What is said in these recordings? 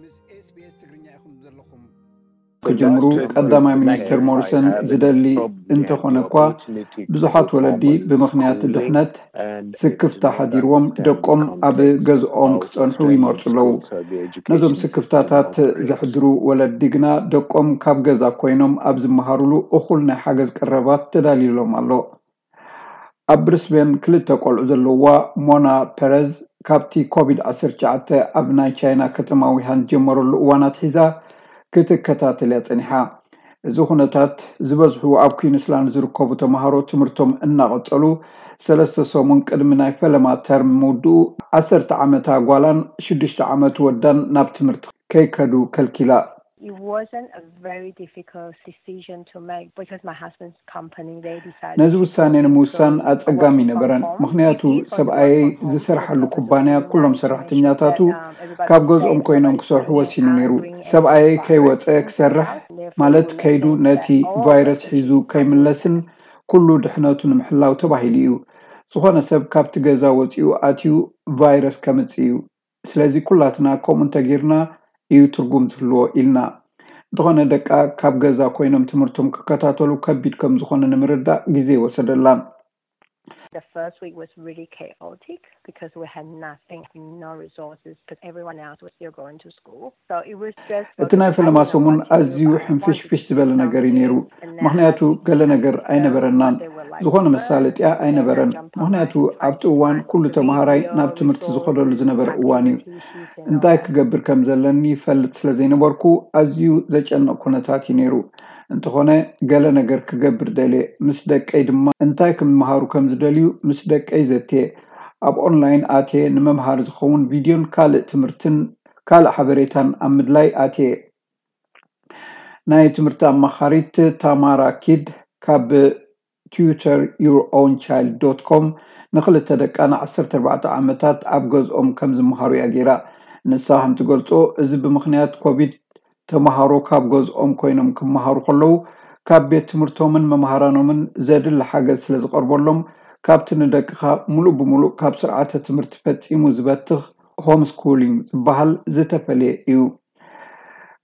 ምስ SBS ትግርኛ ኢኹም ዘለኹም። ክጅምሩ ቀዳማይ ሚኒስትር ሞሪሰን ዝደሊ እንተኾነ እኳ፣ ብዙሓት ወለዲ ብምኽንያት ድሕነት ስክፍታ ሓዲርዎም ደቆም ኣብ ገዝኦም ክጸንሑ ይመርጹ ኣለዉ። ነዞም ስክፍታታት ዘሕድሩ ወለዲ ግና ደቆም ካብ ገዛ ኮይኖም ኣብ ዝመሃሩሉ እኹል ናይ ሓገዝ ቀረባት ተዳልዩሎም ኣሎ። ኣብ ብሪስቤን ክልተ ቆልዑ ዘለዋ ሞና ፐረዝ፣ ካብቲ ኮቪድ ዓሰርተ ትሽዓተ ኣብ ናይ ቻይና ከተማ ዊሃን ዝጀመረሉ እዋን ኣትሒዛ ክትከታተል እያ ጸኒሓ። እዚ ኩነታት ዝበዝሑ ኣብ ኩዊንስላንድ ዝርከቡ ተምሃሮ ትምህርቶም እናቐጸሉ፣ ሰለስተ ሰሙን ቅድሚ ናይ ፈለማ ተርም ምውድኡ፣ ዓሰርተ ዓመታ ጓላን ሽዱሽተ ዓመት ወዳን ናብ ትምህርቲ ከይከዱ ከልኪላ። It wasn't a very difficult decision to make because my husband's company, they decided ነዚ ውሳኔ ንምውሳን ኣጸጋሚ ነበረን፣ ምኽንያቱ ሰብኣየይ ዝሰርሓሉ ኩባንያ ኩሎም ሰራሕተኛታቱ ካብ ገዝኦም ኮይኖም ክሰርሑ ወሲኑ ነይሩ። ሰብኣየይ ከይወጸ ክሰርሕ ማለት ከይዱ ነቲ ቫይረስ ሒዙ ከይምለስን ኩሉ ድሕነቱ ንምሕላው ተባሂሉ እዩ። ዝኾነ ሰብ ካብቲ ገዛ ወጺኡ ኣትዩ ቫይረስ ከምጽእ እዩ። ስለዚ ኩላትና ከምኡ እንተጌርና እዩ ትርጉም ዝህልዎ ኢልና። እንተኾነ ደቃ ካብ ገዛ ኮይኖም ትምህርቶም ክከታተሉ ከቢድ ከም ዝኾነ ንምርዳእ ግዜ ወሰደላን። The first week was really chaotic because we had nothing, no resources, because everyone else was still going to school. So it was just እቲ ናይ ፈለማ ሰሙን ኣዝዩ ሕንፍሽፍሽ ዝበለ ነገር እዩ ነይሩ፣ ምኽንያቱ ገለ ነገር ኣይነበረናን፣ ዝኾነ መሳለጥያ ኣይነበረን። ምኽንያቱ ኣብቲ እዋን ኩሉ ተምሃራይ ናብ ትምህርቲ ዝኸደሉ ዝነበረ እዋን እዩ። እንታይ ክገብር ከም ዘለኒ ይፈልጥ ስለ ዘይነበርኩ ኣዝዩ ዘጨንቕ ኩነታት እዩ ነይሩ። እንተኾነ ገለ ነገር ክገብር ደልየ፣ ምስ ደቀይ ድማ እንታይ ክምሃሩ ከም ዝደልዩ ምስ ደቀይ ዘትየ። ኣብ ኦንላይን ኣትየ ንመምሃሪ ዝኸውን ቪድዮን ካልእ ትምህርትን ካልእ ሓበሬታን ኣብ ምድላይ ኣትየ። ናይ ትምህርቲ ኣማኻሪት ታማራ ኪድ ካብ tutor your own child dot com ንኽልተ ደቃ ን ዓሰርተ ኣርባዕተ ዓመታት ኣብ ገዝኦም ከም ዝመሃሩ እያ ገይራ። ንሳ ከም ትገልጾ፣ እዚ ብምኽንያት ኮቪድ ተምሃሮ ካብ ገዝኦም ኮይኖም ክመሃሩ ከለዉ ካብ ቤት ትምህርቶምን መምሃራኖምን ዘድሊ ሓገዝ ስለ ዝቐርበሎም፣ ካብቲ ንደቅኻ ሙሉእ ብሙሉእ ካብ ስርዓተ ትምህርቲ ፈጺሙ ዝበትኽ ሆምስኩሊንግ ዝበሃል ዝተፈልየ እዩ።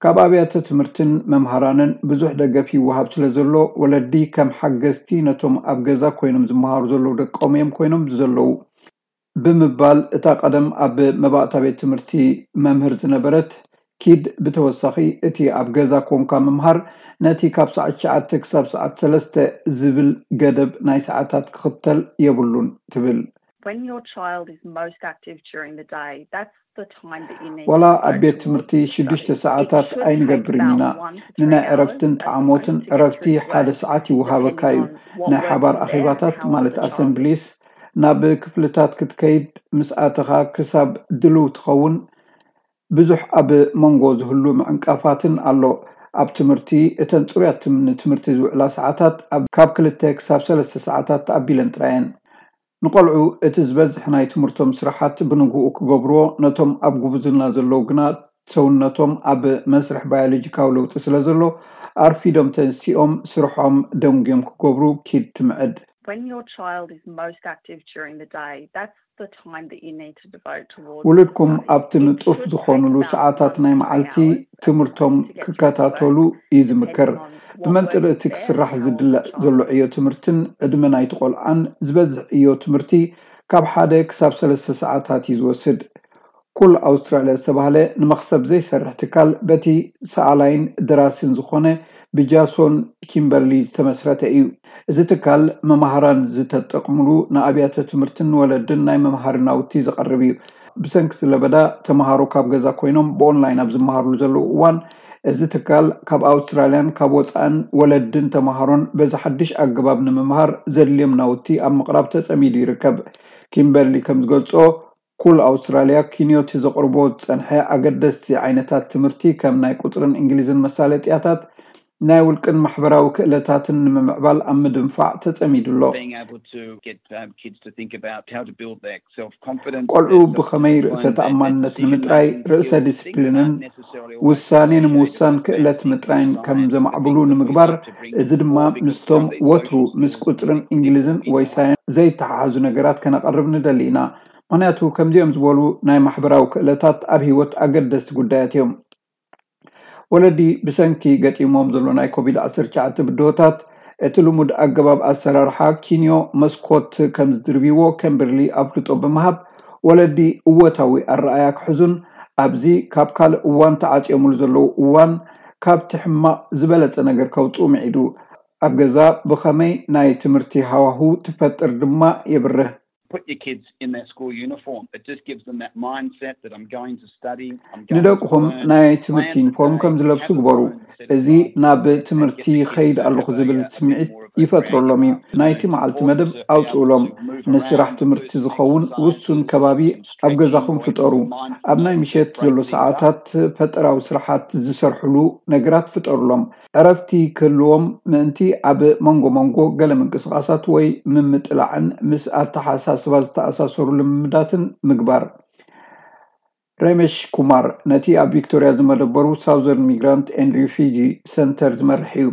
ካብ ኣብያተ ትምህርትን መምሃራንን ብዙሕ ደገፍ ይወሃብ ስለ ዘሎ፣ ወለዲ ከም ሓገዝቲ ነቶም ኣብ ገዛ ኮይኖም ዝመሃሩ ዘለዉ ደቆም እዮም ኮይኖም ዘለዉ ብምባል እታ ቀደም ኣብ መባእታ ቤት ትምህርቲ መምህር ዝነበረት ኪድ ብተወሳኺ፣ እቲ ኣብ ገዛ ኮንካ ምምሃር ነቲ ካብ ሰዓት ትሽዓተ ክሳብ ሰዓት ሰለስተ ዝብል ገደብ ናይ ሰዓታት ክኽተል የብሉን ትብል። When your child is most active during the day, that's the time that you need ዋላ ኣብ ቤት ትምህርቲ ሽዱሽተ ሰዓታት ኣይንገብርን ኢና። ንናይ ዕረፍትን ጣዕሞትን ዕረፍቲ ሓደ ሰዓት ይወሃበካ እዩ። ናይ ሓባር ኣኼባታት ማለት ኣሰምብሊስ ናብ ክፍልታት ክትከይድ ምስ ኣተኻ ክሳብ ድልው ትኸውን ብዙሕ ኣብ መንጎ ዝህሉ ምዕንቃፋትን ኣሎ። ኣብ ትምህርቲ እተን ጽሩያት ትም- ንትምህርቲ ዝውዕላ ሰዓታት ኣብ- ካብ ክልተ ክሳብ ሰለስተ ሰዓታት ተኣቢለን ጥራየን። ንቆልዑ እቲ ዝበዝሕ ናይ ትምህርቶም ስራሓት ብንግኡ ክገብርዎ፣ ነቶም ኣብ ጉብዝና ዘለዉ ግና ሰውነቶም ኣብ መስርሕ ባዮሎጂካዊ ለውጢ ስለ ዘሎ ኣርፊዶም ተንሲኦም ስርሖም ደንጉዮም ክገብሩ ኪድ ትምዕድ። When your child is most active during the day, that's the time that you need to devote towards ውሉድኩም ኣብቲ ንጡፍ ዝኾኑሉ ሰዓታት ናይ መዓልቲ ትምህርቶም ክከታተሉ እዩ ዝምከር። ብመንጽር እቲ ክስራሕ ዝድለ ዘሎ ዕዮ ትምህርትን ዕድመ ናይቲ ቆልዓን ዝበዝሕ ዕዮ ትምህርቲ ካብ ሓደ ክሳብ ሰለስተ ሰዓታት እዩ ዝወስድ። ኩል ኣውስትራልያ ዝተባህለ ንመኽሰብ ዘይሰርሕ ትካል በቲ ሰኣላይን ደራሲን ዝኾነ ብጃሶን ኪምበርሊ ዝተመስረተ እዩ። እዚ ትካል መማህራን ዝተጠቕምሉ ንኣብያተ ትምህርትን ወለድን ናይ መምሃሪ ናውቲ ዘቐርብ እዩ። ብሰንኪ ለበዳ ተምሃሮ ካብ ገዛ ኮይኖም ብኦንላይን ኣብ ዝመሃርሉ ዘለዉ እዋን እዚ ትካል ካብ ኣውስትራልያን ካብ ወፃእን ወለድን ተምሃሮን በዚ ሓድሽ ኣገባብ ንምምሃር ዘድልዮም ናውቲ ኣብ ምቕራብ ተፀሚዱ ይርከብ። ኪምበርሊ ከም ዝገልፆ ኩል ኣውስትራልያ ኪንዮቲ ዘቕርቦ ዝፀንሐ ኣገደስቲ ዓይነታት ትምህርቲ ከም ናይ ቁፅርን እንግሊዝን መሳለጥያታት ናይ ውልቅን ማሕበራዊ ክእለታትን ንምምዕባል ኣብ ምድንፋዕ ተፀሚዱ ኣሎ። ቆልዑ ብኸመይ ርእሰ ተኣማንነት ንምጥራይ ርእሰ ዲስፕሊንን ውሳኔ ንምውሳን ክእለት ምጥራይን ከም ዘማዕብሉ ንምግባር፣ እዚ ድማ ምስቶም ወትሩ ምስ ቁፅርን እንግሊዝን ወይ ሳይንስ ዘይተሓሓዙ ነገራት ከነቐርብ ንደሊ ኢና። ምኽንያቱ ከምዚኦም ዝበሉ ናይ ማሕበራዊ ክእለታት ኣብ ህይወት ኣገደስቲ ጉዳያት እዮም። ወለዲ ብሰንኪ ገጢሞም ዘሎ ናይ ኮቪድ ዓሰርተ ትሽዓተ ብድሆታት እቲ ልሙድ ኣገባብ ኣሰራርሓ ኪንዮ መስኮት ከም ዝድርብይዎ ከምበርሊ ኣፍልጦ ብምሃብ፣ ወለዲ እወታዊ ኣረኣያ ክሕዙን ኣብዚ ካብ ካልእ እዋን ተዓፅዮምሉ ዘለዉ እዋን ካብቲ ሕማቕ ዝበለፀ ነገር ከውፅኡ ምዒዱ። ኣብ ገዛ ብኸመይ ናይ ትምህርቲ ሃዋሁ ትፈጥር ድማ የብርህ። Put your kids in their school uniform. It just gives them that mindset that I'm going to study. I'm going to ንደቅኹም learn. ናይ ትምህርቲ ዩኒፎርም ከም ዝለብሱ ግበሩ። እዚ ናብ ትምህርቲ ይኸይድ ኣለኹ ዝብል ስምዒት ይፈጥረሎም እዩ። ናይቲ መዓልቲ መደብ ኣውፅኡሎም። ንስራሕ ትምህርቲ ዝኸውን ውሱን ከባቢ ኣብ ገዛኹም ፍጠሩ። ኣብ ናይ ምሸት ዘሎ ሰዓታት ፈጠራዊ ስራሓት ዝሰርሕሉ ነገራት ፍጠሩሎም። ዕረፍቲ ክህልዎም ምእንቲ ኣብ መንጎ መንጎ ገለ ምንቅስቓሳት ወይ ምምጥላዕን ምስ ኣተሓሳስባ ዝተኣሳሰሩ ልምምዳትን ምግባር። ረሜሽ ኩማር ነቲ ኣብ ቪክቶርያ ዝመደበሩ ሳውዘርን ሚግራንት ኤንድ ሪፊጂ ሰንተር ዝመርሕ እዩ።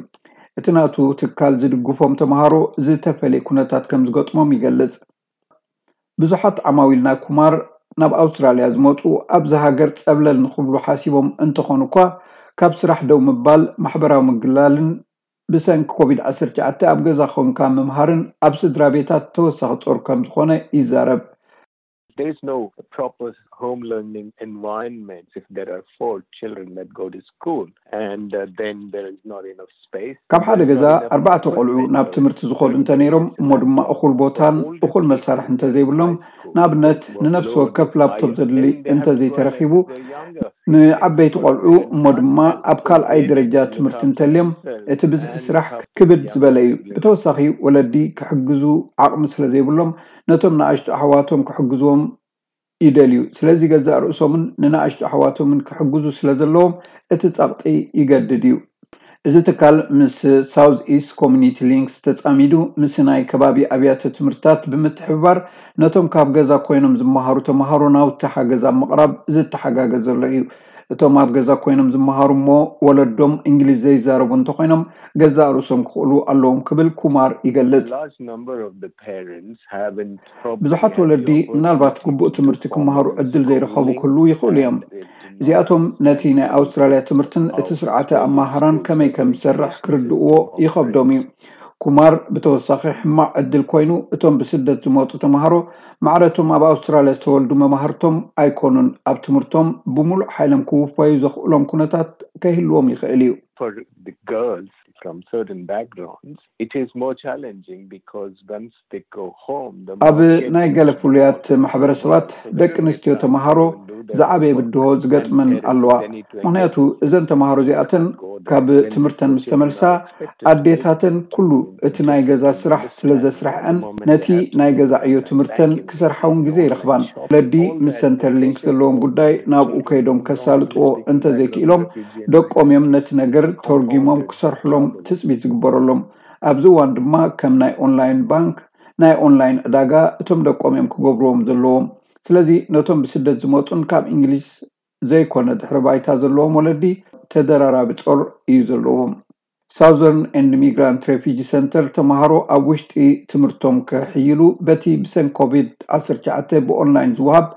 እቲ ናቱ ትካል ዝድግፎም ተምሃሮ ዝተፈለየ ኩነታት ከም ዝገጥሞም ይገልጽ። ብዙሓት ዓማዊል ናይ ኩማር ናብ ኣውስትራልያ ዝመፁ ኣብዚ ሃገር ፀብለል ንክብሉ ሓሲቦም እንተኾኑ እኳ ካብ ስራሕ ደው ምባል፣ ማሕበራዊ ምግላልን ብሰንኪ ኮቪድ ዓሰርተ ትሽዓተ ኣብ ገዛ ኮንካ ምምሃርን ኣብ ስድራ ቤታት ተወሳኺ ጾር ከም ዝኾነ ይዛረብ። There is no proper home learning environment if there are four children that go to school and uh, then there is not enough space. ካብ ሓደ ገዛ ኣርባዕተ ቆልዑ ናብ ትምህርቲ ዝኾዱ እንተነይሮም እሞ ድማ እኹል ቦታን እኹል መሳርሒ እንተዘይብሎም፣ ንኣብነት ንነፍሲ ወከፍ ላፕቶፕ ዘድሊ እንተዘይተረኺቡ፣ ንዓበይቲ ቆልዑ እሞ ድማ ኣብ ካልኣይ ደረጃ ትምህርቲ እንተልዮም እቲ ብዝሒ ስራሕ ክብድ ዝበለ እዩ። ብተወሳኺ ወለዲ ክሕግዙ ዓቕሚ ስለ ዘይብሎም ነቶም ንኣሽቱ ኣሕዋቶም ክሕግዝዎም ይደልዩ። ስለዚ ገዛእ ርእሶምን ንንኣሽቱ ኣሕዋቶምን ክሕግዙ ስለ ዘለዎም እቲ ጸቕጢ ይገድድ እዩ። እዚ ትካል ምስ ሳውዝ ኢስት ኮሚኒቲ ሊንክስ ተጻሚዱ ምስ ናይ ከባቢ ኣብያተ ትምህርትታት ብምትሕብባር ነቶም ካብ ገዛ ኮይኖም ዝመሃሩ ተምሃሮ ናውቲ ሓገዝ ኣብ ምቕራብ ዝተሓጋገዘሎ እዩ። እቶም ኣብ ገዛ ኮይኖም ዝመሃሩ እሞ ወለዶም እንግሊዝ ዘይዛረቡ እንተኾይኖም ገዛእ ርእሶም ክኽእሉ ኣለዎም ክብል ኩማር ይገልጽ። Large number of the parents haven't probably ብዙሓት had ወለዲ the opportunity ምናልባት ግቡእ ትምህርቲ ክመሃሩ ዕድል ዘይረኸቡ ክህልዉ ይኽእሉ እዮም። እዚኣቶም ነቲ ናይ ኣውስትራልያ ትምህርትን እቲ ስርዓተ ኣመሃህራን ከመይ ከም ዝሰርሕ ክርድእዎ ይኸብዶም እዩ። ኩማር ብተወሳኺ ሕማቕ ዕድል ኮይኑ እቶም ብስደት ዝመፁ ተምሃሮ ማዕረቶም ኣብ ኣውስትራልያ ዝተወልዱ መማህርቶም ኣይኮኑን ኣብ ትምህርቶም ብሙሉእ ሓይሎም ክውፈዩ ዘኽእሎም ኩነታት ከይህልዎም ይኽእል እዩ። for the girls from certain backgrounds, it is more challenging because once they go home, the ኣብ market ናይ is ገለ more ፍሉያት competitive. ማሕበረሰባት ደቂ ኣንስትዮ ተምሃሮ ዝዓበየ ብድሆ ዝገጥመን ኣለዋ። ምክንያቱ እዘን ተምሃሮ እዚኣተን ካብ ትምህርተን ምስ ተመልሳ ኣዴታተን ኩሉ እቲ ናይ ገዛ ስራሕ ስለ ዘስርሐን ነቲ ናይ ገዛ ዕዮ ትምህርተን ክሰርሓ እውን ግዜ ይረኽባን። ወለዲ ምስ ሰንተር ሊንክ ዘለዎም ጉዳይ ናብኡ ከይዶም ከሳልጥዎ እንተዘይክኢሎም ደቆም እዮም ነቲ ነገር ተርጒሞም ክሰርሕሎም ትፅቢት ዝግበረሎም። ኣብዚ እዋን ድማ ከም ናይ ኦንላይን ባንክ፣ ናይ ኦንላይን ዕዳጋ እቶም ደቆም እዮም ክገብርዎም ዘለዎም። ስለዚ ነቶም ብስደት ዝመፁን ካብ እንግሊዝ ዘይኮነ ድሕሪ ባይታ ዘለዎም ወለዲ ተደራራቢ ጾር እዩ ዘለዎም። ሳውዘርን ኤንድ ሚግራንት ሬፊጂ ሰንተር ተምሃሮ ኣብ ውሽጢ ትምህርቶም ክሕይሉ በቲ ብሰንኪ ኮቪድ ዓሰርተ ትሽዓተ ብኦንላይን ዝወሃብ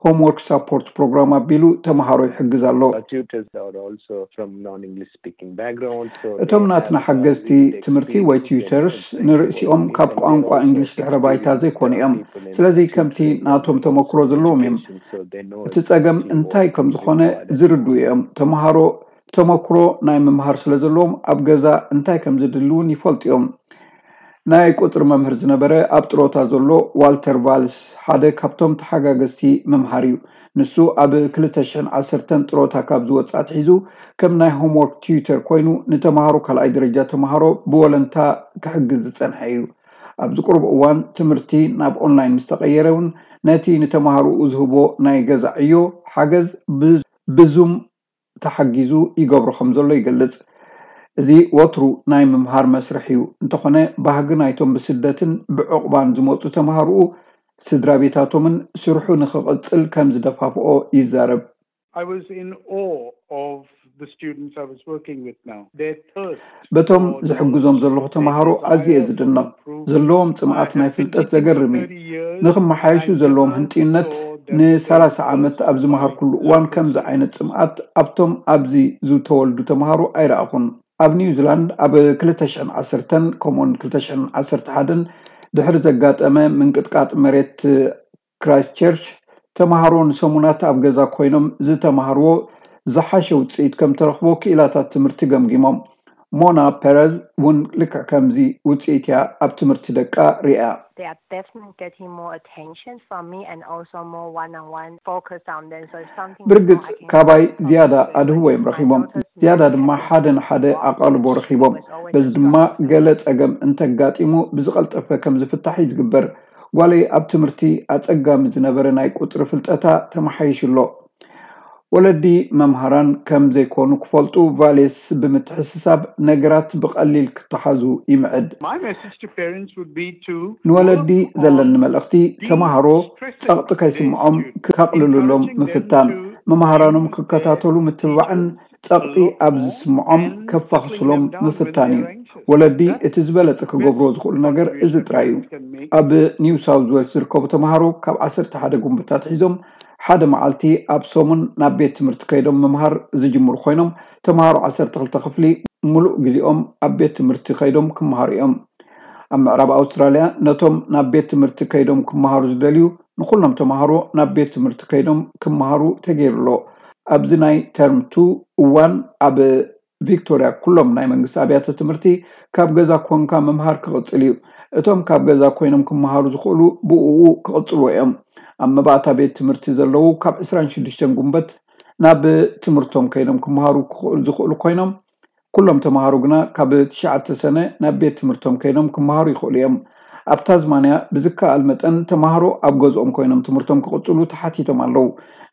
ሆምወርክ ሳፖርት ፕሮግራም ኣቢሉ ተምሃሮ ይሕግዝ ኣሎ። Our tutors are also from non-English speaking backgrounds. So እቶም they ናትና have, uh, ሓገዝቲ lived ትምህርቲ experience ወይ and ቲዩተርስ knowledge. ንርእሲኦም They ካብ have their ቋንቋ own እንግሊሽ ድሕረ perspective ባይታ on ዘይኮኑ other እዮም። people and ስለዚ teachers ከምቲ and ናቶም ተመክሮ ዘለዎም እዮም። education, so they know እቲ ጸገም exactly እንታይ what ከም is ዝኾነ required and ዝርድኡ እዮም። ተምሃሮ ተመክሮ ናይ ምምሃር ስለ ዘለዎም ኣብ ገዛ እንታይ ከም ዝድልውን ይፈልጡ እዮም። ናይ ቁፅሪ መምህር ዝነበረ ኣብ ጥሮታ ዘሎ ዋልተር ቫልስ ሓደ ካብቶም ተሓጋገዝቲ ምምሃር እዩ። ንሱ ኣብ ክልተ ሽሕን ዓሰርተን ጥሮታ ካብ ዝወፅእ ኣትሒዙ ከም ናይ ሆምወርክ ቲዩተር ኮይኑ ንተምሃሮ ካልኣይ ደረጃ ተምሃሮ ብወለንታ ክሕግዝ ዝፀንሐ እዩ። ኣብዚ ቁሩብ እዋን ትምህርቲ ናብ ኦንላይን ምስ ተቐየረ እውን ነቲ ንተምሃሮኡ ዝህቦ ናይ ገዛ ዕዮ ሓገዝ ብ- ብዙም ተሓጊዙ ይገብሮ ከም ዘሎ ይገልጽ። እዚ ወትሩ ናይ ምምሃር መስርሕ እዩ። እንተኾነ ባህጊ ናይቶም ብስደትን ብዕቑባን ዝመጹ ተምሃሮኡ ስድራ ቤታቶምን ስርሑ ንኽቕጽል ከም ዝደፋፍኦ ይዛረብ። I was in awe of the students I was working with now. Their thirst በቶም for ዝሕግዞም knowledge, ዘለኹ their ተምሃሮ ኣዝየ desire for ዝድነቕ። improvement. ዘለዎም I ጽምኣት have ናይ been ፍልጠት teaching ዘገርም for እዩ። thirty years. ንኽመሓየሹ ዘለዎም ህንጥዩነት ንሰላሳ ዓመት ኣብ ዝመሃርኩሉ እዋን ከምዚ ዓይነት ጽምኣት ኣብቶም ኣብዚ ዝተወልዱ ተምሃሮ ኣይረኣኹን። ኣብ ኒውዚላንድ ኣብ ክልተ ሽሕን ዓሰርተን ከምኡውን ክልተ ሽሕን ዓሰርተ ሓደን ድሕሪ ዘጋጠመ ምንቅጥቃጥ መሬት ክራይስቸርች ተምሃሮ ንሰሙናት ኣብ ገዛ ኮይኖም ዝተምሃርዎ ዝሓሸ ውፅኢት ከም ተረኽቦ ክኢላታት ትምህርቲ ገምጊሞም። ሞና ፐረዝ እውን ልክዕ ከምዚ ውፅኢት እያ ኣብ ትምህርቲ ደቃ ሪኣ። ብርግፅ ካባይ ዝያዳ ኣድህቦ እዮም ረኺቦም፣ ዝያዳ ድማ ሓደ ንሓደ ኣቓልቦ ረኺቦም። በዚ ድማ ገለ ፀገም እንተጋጢሙ ብዝቐልጠፈ ከም ዝፍታሕ እዩ ዝግበር። ጓለይ ኣብ ትምህርቲ ኣፀጋሚ ዝነበረ ናይ ቁፅሪ ፍልጠታ ተመሓይሹ ኣሎ። ወለዲ መምሃራን ከም ዘይኮኑ ክፈልጡ ቫሌስ ብምትሕስሳብ ነገራት ብቐሊል ክተሓዙ ይምዕድ። ንወለዲ ዘለኒ መልእኽቲ ተምሃሮ ጸቕጢ ከይስምዖም ከቕልሉሎም ምፍታን፣ መምሃራኖም ክከታተሉ ምትብባዕን ጸቕጢ ኣብ ዝስምዖም ከፋኽስሎም ምፍታን እዩ። ወለዲ እቲ ዝበለጸ ክገብርዎ ዝኽእሉ ነገር እዚ ጥራይ እዩ። ኣብ ኒው ሳውዝ ዌልስ ዝርከቡ ተምሃሮ ካብ ዓሰርተ ሓደ ጉንበታት ሒዞም ሓደ መዓልቲ ኣብ ሰሙን ናብ ቤት ትምህርቲ ከይዶም ምምሃር ዝጅምሩ ኮይኖም፣ ተምሃሮ ዓሰርተ ክልተ ክፍሊ ምሉእ ግዜኦም ኣብ ቤት ትምህርቲ ከይዶም ክምሃሩ እዮም። ኣብ ምዕራብ ኣውስትራልያ ነቶም ናብ ቤት ትምህርቲ ከይዶም ክምሃሩ ዝደልዩ ንኹሎም ተምሃሮ ናብ ቤት ትምህርቲ ከይዶም ክምሃሩ ተገይሩ ኣሎ። ኣብዚ ናይ ተርም ቱ እዋን ኣብ ቪክቶርያ ኩሎም ናይ መንግስቲ ኣብያተ ትምህርቲ ካብ ገዛ ኮንካ ምምሃር ክቕጽል እዩ። እቶም ካብ ገዛ ኮይኖም ክምሃሩ ዝኽእሉ ብእኡ ክቕጽልዎ እዮም። ኣብ መባእታ ቤት ትምህርቲ ዘለዉ ካብ ዕስራን ሽዱሽተን ጉንበት ናብ ትምህርቶም ከይዶም ክምሃሩ ክኽእሉ ዝኽእሉ ኮይኖም፣ ኩሎም ተምሃሮ ግና ካብ ትሽዓተ ሰነ ናብ ቤት ትምህርቶም ከይዶም ክምሃሩ ይኽእሉ እዮም። ኣብ ታዝማንያ ብዝከኣል መጠን ተምሃሮ ኣብ ገዝኦም ኮይኖም ትምህርቶም ክቕጽሉ ተሓቲቶም ኣለዉ።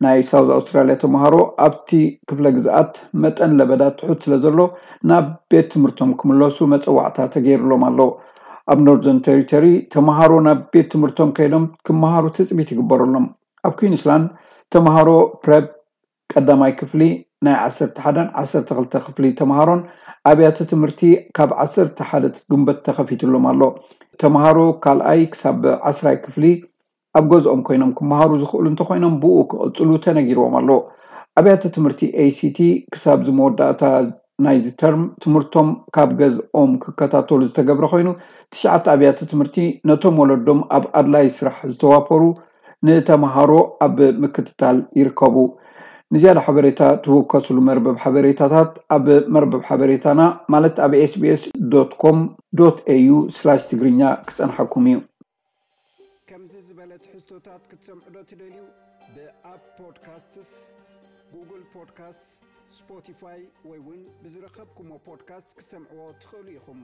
ናይ ሳውዝ ኣውስትራልያ ተምሃሮ ኣብቲ ክፍለ ግዝኣት መጠን ለበዳ ትሑት ስለ ዘሎ ናብ ቤት ትምህርቶም ክምለሱ መጸዋዕታ ተገይሩሎም ኣሎ። ኣብ ኖርዘርን ቴሪቶሪ ተምሃሮ ናብ ቤት ትምህርቶም ከይዶም ክምሃሩ ትጽቢት ይግበረሎም። ኣብ ኩዊንስላንድ ተምሃሮ ፕረፕ ቀዳማይ ክፍሊ ናይ ዓሰርተ ሓደን ዓሰርተ ክልተ ክፍሊ ተምሃሮን ኣብያተ ትምህርቲ ካብ ዓሰርተ ሓደ ግንቦት ተኸፊትሎም ኣሎ። ተምሃሮ ካልኣይ ክሳብ ዓስራይ ክፍሊ ኣብ ገዝኦም ኮይኖም ክመሃሩ ዝኽእሉ እንተኾይኖም ብኡ ክቕጽሉ ተነጊርዎም ኣሎ። ኣብያተ ትምህርቲ ኤ ሲ ቲ ክሳብ ዝመወዳእታ ናይዚ ተርም ትምህርቶም ካብ ገዝኦም ክከታተሉ ዝተገብረ ኮይኑ፣ ትሽዓተ ኣብያተ ትምህርቲ ነቶም ወለዶም ኣብ ኣድላይ ስራሕ ዝተዋፈሩ ንተምሃሮ ኣብ ምክትታል ይርከቡ። ንዝያዳ ሓበሬታ ትውከስሉ መርበብ ሓበሬታታት ኣብ መርበብ ሓበሬታና ማለት ኣብ ኤስ ቢ ኤስ ዶት ኮም ዶት ኤ ዩ ስላሽ ትግርኛ ክጸንሓኩም እዩ። ከምዚ ዝበለ ትሕዝቶታት ክትሰምዑ ዶ ትደልዩ? ብኣፕ ፖድካስትስ፣ ጉግል ፖድካስትስ፣ ስፖቲፋይ ወይ እውን ብዝረኸብኩሞ ፖድካስት ክትሰምዕዎ ትኽእሉ ኢኹም።